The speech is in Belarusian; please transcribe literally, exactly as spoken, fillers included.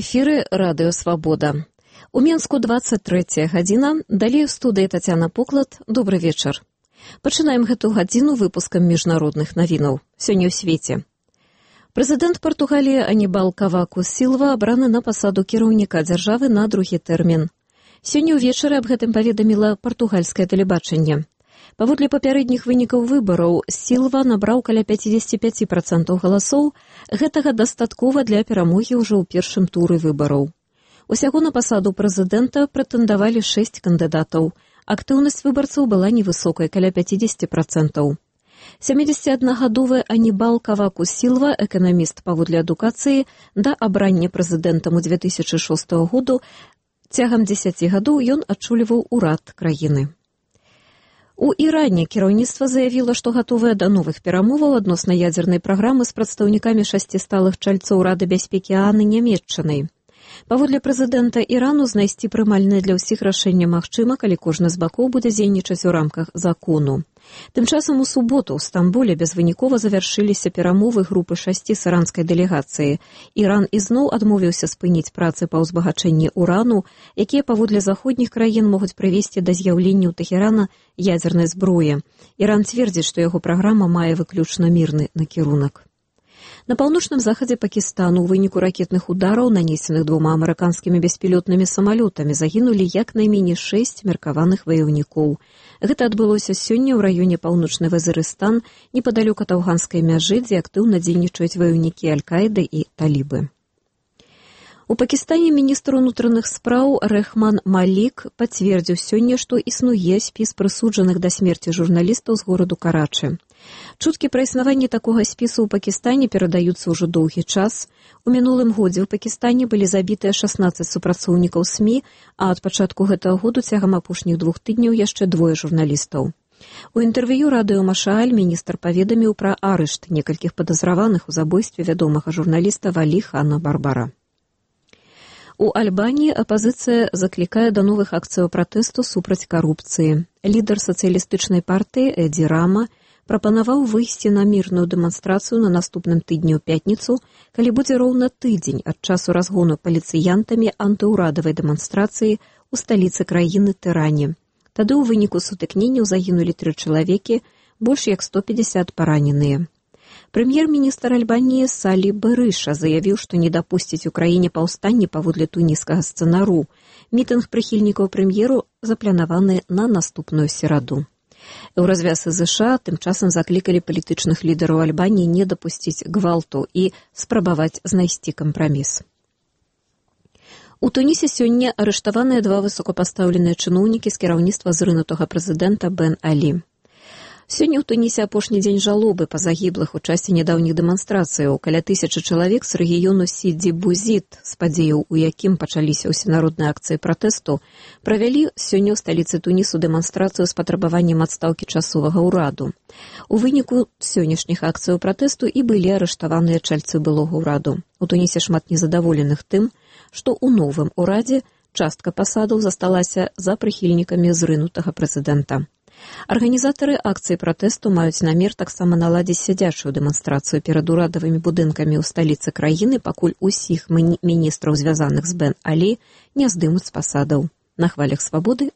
эфіры радыё «Свабода». У Менску дваццаць трэцяя гадзіна, далей у студыі Тацяна Поклад. Добры вечар. Пачынаем гэту гадзіну выпускам міжнародных навінаў. Сёння ў свеце. Прэзідэнт Партугаліі Анібал Каваку Сілва абраны на пасаду кіраўніка дзяржавы на другі тэрмін. Сёння ўвечары аб гэтым паведаміла партугальскае тэлебачанне. Паводле папярэдніх вынікаў выбараў, Сілва набраў каля пяцьдзесят пяць працэнтаў галасоў. Гэтага дастаткова для перамогі ўжо ў першым туры выбараў. Усяго на пасаду прэзідэнта прэтэндавалі шэсць кандыдатаў. Актыўнасць выбарцаў была невысокай, каля пяцьдесят працэнтаў. сямідзесятаднагадовы Анібал Каваку Сілва, эканаміст паводле адукацыі, да абрання прэзідэнтам у две тысячы шостага году цягам дзесяці гадоў ён адчульваў урад краіны. У Іране кіраўніцтва заявіла, што гатовае да новых перамоваў адносна ядзернай праграмы з прадстаўнікамі шасці сталых чальцоў Рады бяспекі ААН Нямецчынай. Паводле прэзідэнта Ірану знайсці прымальнае для ўсіх рашэнне магчыма, калі кожны з бакоў будзе дзейнічаць у рамках закону. Тым часам у суботу ў Стамбуле безвынікова завяршыліся перамовы групы шасці з іранскай дэлегацыі. Іран ізноў адмовіўся спыніць працы па ўзбагачэнні урану, якія паводле заходніх краін могуць прывесці да з'яўлення ў Тэхерана ядзернай зброі. Іран цвердзіць, што яго праграма мае выключна мірны накірунак. На паўночным захадзе Пакістану ў выніку ракетных удараў, нанесеных двума амерыканскімі беспілотнымі самалётамі, загінулі як найменей шэсць меркаваных ваяўнікоў. Гэта адбылося сёння ў раёне паўночны Вазірыстан, непадалёк ад афганскай мяжы, дзе актыўна дзейнічаюць ваяўнікі Аль-Каіды і талібы. У Пакістане міністр унутраных спраў Рэхман Малік пацвердзіў сёння, што існуе спіс прысуджаных да смерці журналістаў з гораду Карачы. Чуткі пра існаванне такога спісу ў Пакістане перадаюцца ўжо доўгі час. У мінулым годзе ў Пакістане былі забітыя шаснаццаць супрацоўнікаў СМІ, а ад пачатку гэтага году цягам апошніх двух тыдняў яшчэ двое журналістаў. У інтэрв'ю радыё Машааль міністр паведаміў пра арышт некалькіх падазраваных у забойстве вядомага журналіста Валі Хана Барбара. У Альбаніі апазіцыя заклікае да новых акцыяў пратэсту супраць карупцыі. Лідар сацыялістычнай партыі Эдзі Рама прапанаваў выйсці на мірную дэманстрацыю на наступным тыдні ў пятніцу, калі будзе роўна тыдзень ад часу разгону паліцыянтамі антыўрадавай дэманстрацыі ў сталіцы краіны Тэране. Тады ў выніку сутыкненняў загінулі тры чалавекі, больш як сто пятьдесят параненыя. Прэм'ер-міністр Альбаніі Салі Берыша заявіў, што не дапусціць у краіне паўстанне паводле туніскага сцэнару. Мітынг прыхільнікаў прэм'еру запланаваны на наступную сераду. У развяз ЗША тым часам заклікалі палітычных лідараў Альбаніі не дапусціць гвалту і спрабаваць знайсці кампраміс. У Тунісе сёння арыштаваныя два высокапастаўленыя чыноўнікі з кіраўніцтва зрынутага прэзідэнта Бен Алі. Сёння ў Тунісе апошні дзень жалобы па загіблых у часе нядаўніх дэманстрацыяў. Каля тысячы чалавек з рэгіёну Сіді-Бузіт, з падзеяў, у якім пачаліся ўсенародныя акцыі пратэсту, правялі сёння ў сталіцы Тунісу дэманстрацыю з патрабаваннем адстаўкі часовага ўраду. У выніку сённяшніх акцыяў пратэсту і былі арыштаваныя чальцы былога ўраду. У Тунісе шмат незадаволеных тым, што ў новым урадзе частка пасадаў засталася за прыхільнікамі зрынутага прэзідэнта. Арганізатары акцыі пратэсту маюць намер таксама наладзіць сядзячую дэманстрацыю перад урадавымі будынкамі ў сталіцы краіны, пакуль усіх міністраў, звязаных з Бен Алі, не здымуць з пасадаў. На хвалях свабоды